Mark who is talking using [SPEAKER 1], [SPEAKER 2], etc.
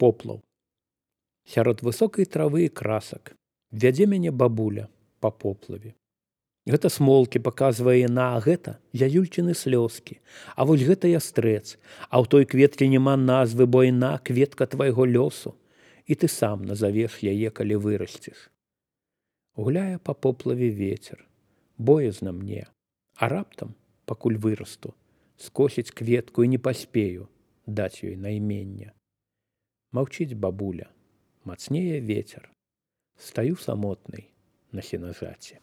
[SPEAKER 1] Поплаў. Сярод высокай травы і красак вядзе мяне бабуля па поплаве. Гэта смолкі паказвае яна, а гэта зязюльчыны слёзкі. А вось гэта ястрэц, а ў той кветкі няма назвы, бо яна кветка твайго лёсу, і ты сам назавеш яе, калі вырасцеш. Гуляе па поплаве вецер, боязна мне, а раптам, пакуль вырасту, скосіць кветку і не паспею даць ёй наймення. Маўчыць бабуля, мацнее вецер, стаю самотнай на сенажаці.